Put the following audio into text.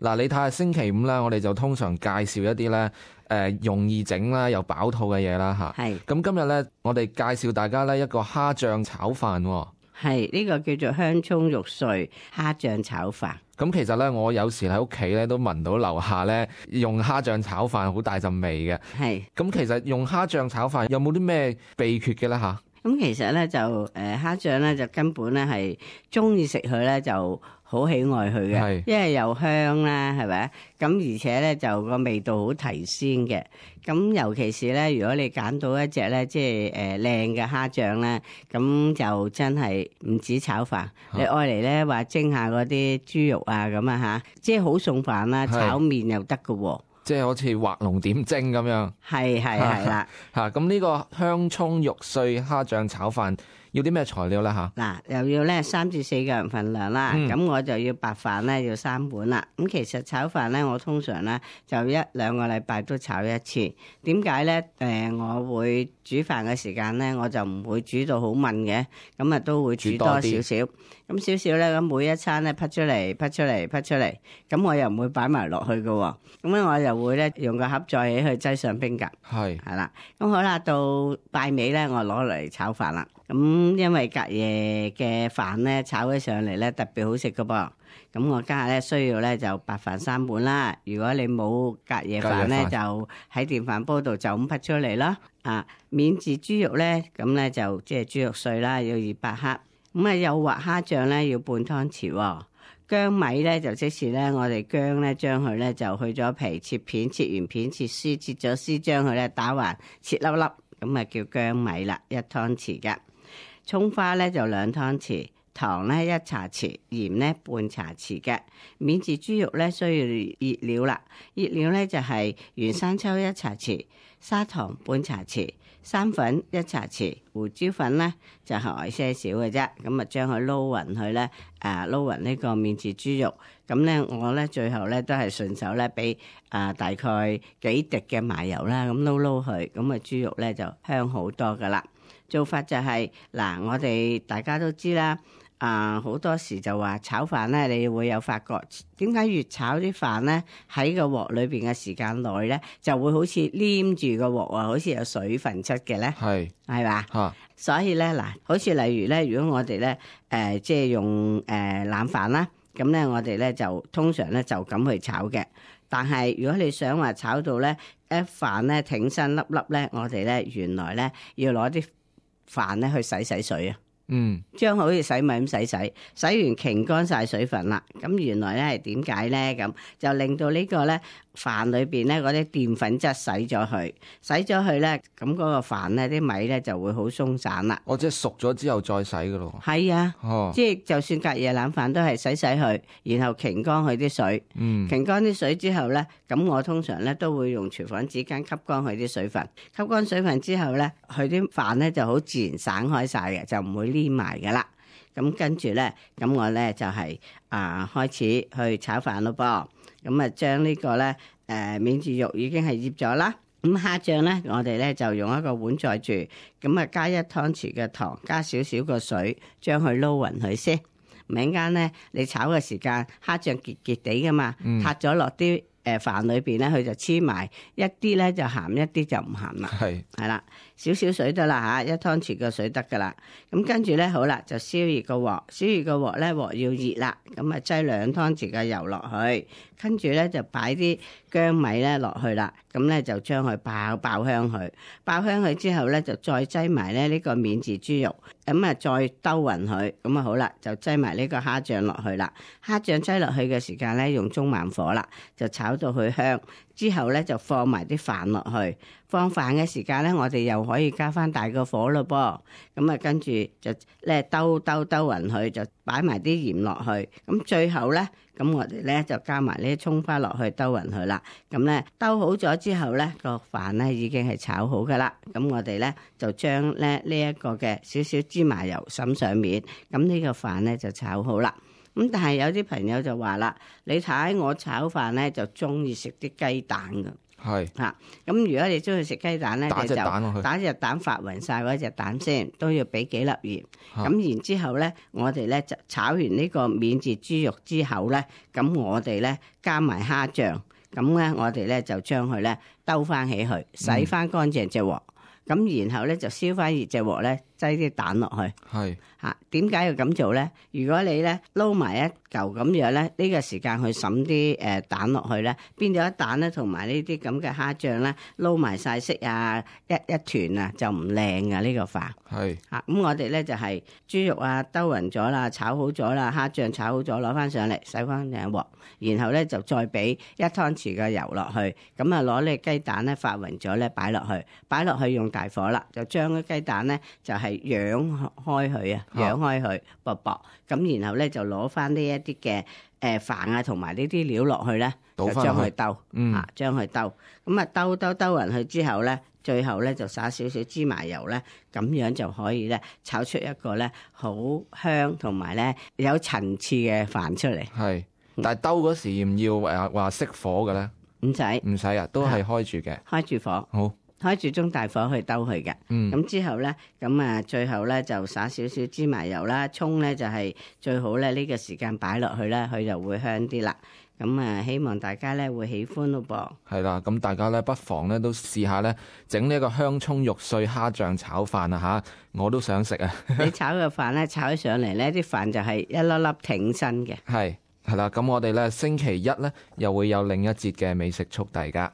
嗱，你睇下星期五啦，我哋就通常介紹一啲咧容易整啦又飽肚嘅嘢啦嚇。係咁今日咧，我哋介紹大家咧一個蝦醬炒飯喎。係呢個叫做香葱肉碎蝦醬炒飯。咁其實咧，我有時喺屋企咧都聞到樓下咧用蝦醬炒飯好大陣味嘅。係咁其實用蝦醬炒飯有冇啲咩秘訣嘅咧嚇？咁其實咧就蝦醬咧就根本咧係中意食佢咧就好喜愛佢嘅，係因為又香啦，係咪？咁而且咧就個味道好提鮮嘅。咁尤其是咧，如果你揀到一隻咧即係靚嘅蝦醬咧，咁就真係唔止炒飯，你愛嚟咧話蒸下嗰啲豬肉啊咁啊嚇，即係好餸飯啦，炒麵又得㗎喎。即係好似畫龍點睛咁樣。係啦。嚇，咁呢個香葱肉碎蝦醬炒飯要啲咩材料咧嚇？嗱，又要咧3至4個人份量啦，咁我就要白飯咧要3碗啦。咁其實炒飯咧，我通常咧就1-2個禮拜都炒一次。點解咧？我會煮飯嘅時間咧，我就唔會煮到好燜嘅，咁啊都會煮多少少。咁少少咧，咁每一餐咧滗出嚟，咁我又唔會擺埋落去嘅喎。咁咧我又會咧用個盒再起去擠上冰格。係啦，咁好啦，到拜尾咧，我攞嚟炒飯啦。咁因為隔夜嘅飯咧炒起上嚟咧特別好食㗎噃，咁我家下咧需要咧就白飯3碗啦。如果你冇隔夜飯咧，就喺電飯煲度就咁滗出嚟啦。免治豬肉咧，咁咧就即係豬肉碎啦，要200克。咁啊幼滑蝦醬咧要半湯匙喎。薑米咧就即是咧我哋薑咧將佢咧就去咗皮，切片，切完片切絲，切咗絲將佢咧打橫切粒粒，咁啊叫薑米啦，1湯匙㗎。蔥花咧就2湯匙，糖咧1茶匙，鹽咧半茶匙嘅。免治豬肉咧需要熱料啦，熱料咧就係原生抽1茶匙，砂糖半茶匙，生粉1茶匙，胡椒粉咧就係些少嘅啫。咁啊將佢撈勻佢咧，撈勻呢個免治豬肉。咁咧我咧最後咧都係順手咧俾大概幾滴嘅麻油啦，咁撈撈佢，咁啊豬肉咧就香好多噶啦。做法就係嗱，我哋大家都知啦，好多時就話炒飯咧，你會有發覺點解越炒啲飯咧喺個鑊裏邊嘅時間內咧，就會好似黏住個鑊啊，好似有水分出嘅咧，係嘛？所以咧嗱，好似例如咧，如果我哋咧即係用冷飯啦，咁咧我哋咧就通常咧就咁去炒嘅。但係如果你想話炒到咧一飯咧挺身粒粒咧，我哋咧原來咧要攞啲飯咧去洗水啊，將好似洗米咁洗完擎乾晒水分啦。咁原來咧係點解咧？咁就令到呢個咧飯裏邊咧嗰啲澱粉質洗咗去咧，咁嗰個飯咧啲米咧就會好鬆散啦。即係熟咗之後再洗噶咯。係啊，即係就算隔夜冷飯都係洗佢，然後擎乾佢啲水。擎乾啲水之後咧，咁我通常咧都會用廚房紙巾吸乾佢啲水分。吸乾水分之後咧，佢啲飯咧就好自然散開晒嘅，就唔會黏埋噶啦。咁跟住咧，咁我咧就係開始去炒飯咯噃。咁啊，將呢個咧免治肉已經係醃咗啦。咁蝦醬咧，我哋咧就用一個碗載住，咁啊加1湯匙嘅糖，加少少個水，將佢撈勻佢先。唔陣間咧，你炒嘅時間，蝦醬結結地噶嘛，塌咗落啲飯裏邊咧，佢就黐埋一啲咧就鹹，一啲就唔鹹啦。係啦，少少水得啦嚇，1湯匙嘅水得噶啦。咁跟住咧，好啦，就燒熱個鑊咧，鑊要熱啦，咁啊擠2湯匙嘅油落去，跟住咧就擺啲薑米咧落去啦，咁咧就將佢爆香佢，爆香佢之後咧就再擠埋咧呢個免治豬肉，咁啊再兜勻佢，咁啊好啦，就擠埋呢個蝦醬落去啦。蝦醬擠落去嘅時間咧，用中慢火啦，就炒到佢香。之後咧就放埋啲飯落去，放飯嘅時間咧，我哋又可以加翻大個火咯噃。咁啊，跟住就咧兜勻佢，就擺埋啲鹽落去。咁最後咧，咁我哋咧就加埋呢啲蔥花落去兜勻佢啦。咁咧兜好咗之後咧，個飯咧已經係炒好噶啦。咁我哋咧就將咧呢一個嘅少少芝麻油灑上面，咁呢個飯咧就炒好啦。咁但係有啲朋友就話啦，你睇我炒飯咧就中意食啲雞蛋㗎。係嚇。咁如果你中意食雞蛋咧，打你就隻蛋落去，打隻蛋發勻晒嗰隻蛋先，都要俾幾粒鹽。嚇咁然之後咧，我哋咧就炒完呢個免治豬肉之後咧，咁我哋咧加埋蝦醬，咁咧我哋咧就將佢咧兜翻起去，洗翻乾淨隻鑊，咁然後咧就燒翻熱隻鑊咧，擠啲蛋落去。係嚇，點解要咁做咧？如果你咧撈埋一嚿咁樣咧，呢個時間去揼啲蛋落去咧，變咗一蛋咧，同埋呢啲咁嘅蝦醬咧，撈埋晒色啊，一團啊，就唔靚噶呢個飯。係嚇，咁我哋咧就係豬肉啊兜勻咗啦，炒好咗啦，蝦醬炒好咗，攞翻上嚟洗翻淨鑊，然後咧就再俾1湯匙嘅油落去，咁啊攞呢雞蛋咧發勻咗咧擺落去用大火啦，就將啲雞蛋咧就係揚開佢啊，揚開佢薄薄，咁然後咧就攞翻呢一啲嘅飯啊同埋呢啲料落去咧，就倒返落去將佢兜，嗯將佢兜，咁啊兜勻佢之後咧。最後咧就灑少少芝麻油咧，咁樣就可以咧炒出一個咧好香同埋咧有層次嘅飯出嚟。係，但係兜嗰時要唔要話熄火嘅咧？唔使唔使啊，都係開住嘅。開住火，好，開住中大火去兜佢嘅。嗯咁之後咧，咁啊最後咧就灑少少芝麻油啦，葱咧就係最好咧呢個時間擺落去咧，佢就會香啲啦。咁啊，希望大家咧會喜歡咯噃。係啦，咁大家咧不妨咧都試下咧整呢一個香葱肉碎蝦醬炒飯啊嚇，我都想食啊！你炒嘅飯咧炒起上嚟咧，啲飯就係一粒粒挺身嘅。係啦，咁我哋咧星期一咧又會有另一節嘅美食速遞㗎。